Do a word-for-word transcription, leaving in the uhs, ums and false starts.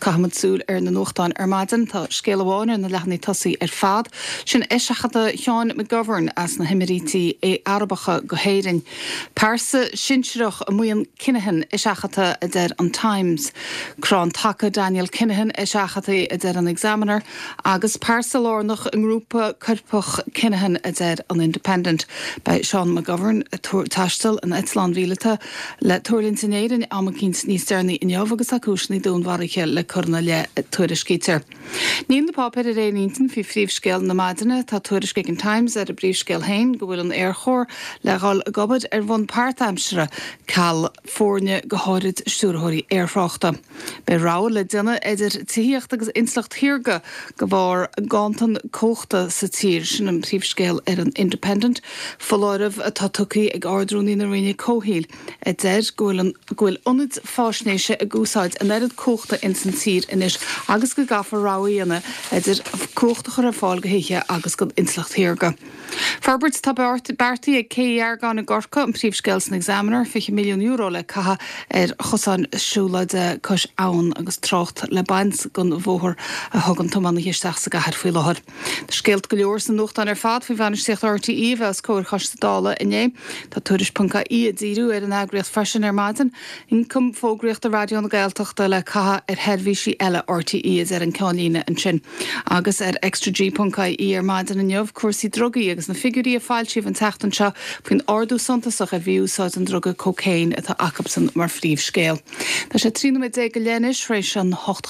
Caithfimid súil ar na nuachtáin ar maidin tá scéal amháin ar na leathanaigh tosaigh ar fad, sin eiseachadadh Sheáin McGovern as na hÉimíríochtaí Arabacha go hÉirinn. Pearsa sinsearach i mbuíon Kinahan eiseachadta a deir an Times. Crann taca Daniel Kinahan eiseachadta a deir an Examiner, agus pearsa lárnach i ngrúpa coirpeach Kinahan a deir an Independent. Beidh Seán McGovern taisteal in eitleán míleata le tuirlingt in Éirinn am éicint níos deireanaí inniu agus tá cúiseanna dúnmharaithe le cur ina leith tuairiscítear. Níl na páipéir ar aon intinn faoi phríomhscéal na maidine tá tuairisc ag an Times ar a bpríomhscéal féin go bhfuil an Aerchór le dhul ag obair ar bhonn páirtaimseartha ceal foirne go háirid stiúrthóirí aerthráchta. Beidh rogha le déanamh idir tithíocht agus intleacht shaorga de bharr ganntan cumhachta sa tír sin an príomhscéal ar an Independent, Foláireamh atá tugtha ag Ard-Rúnaí na Roinne Comhshaoil a deir go bhfuil ionaid faisnéise ag úsáid an oiread cumhachta ins an tír anois agus go gcaithfear rogha a dhéanamh idir cumhacht a chur ar fáil do thithe agus don intleacht shaorga. Forbairt tá beartaithe ag Cé Dheargáin i gCorcaigh an príomhscéal san Examiner fiche milliún euro le caitheamh ar chosáin siúlóide cois abhann agus trácht le baint den bhóthar a thugann tiománaithe isteach sa gcathair faoi láthair. Scéalta go leor sna nuachtáin ar fad faoi bhainistíocht RTÉ bheith os comhair choiste Dála inné Tá tuairisc.ie ag díriú ar an eagraíocht freisin ar maidin, ioncam fógraíochta Raidió na Gaeltachta le caitheamh ar sheirbhísí eile RTÉ a deir an ceannlíne ansin. Agus ar extraG.ie ar maidin inniu cúrsaí drugaí agus na figiúirí a foilsíodh an tseachtain seo faoin ardú suntasach ar mhí-úsáid an druga cocaine atá acusan mar phríomhscéal. Tá sé trí nóiméad déag go leith anois tar éis an hocht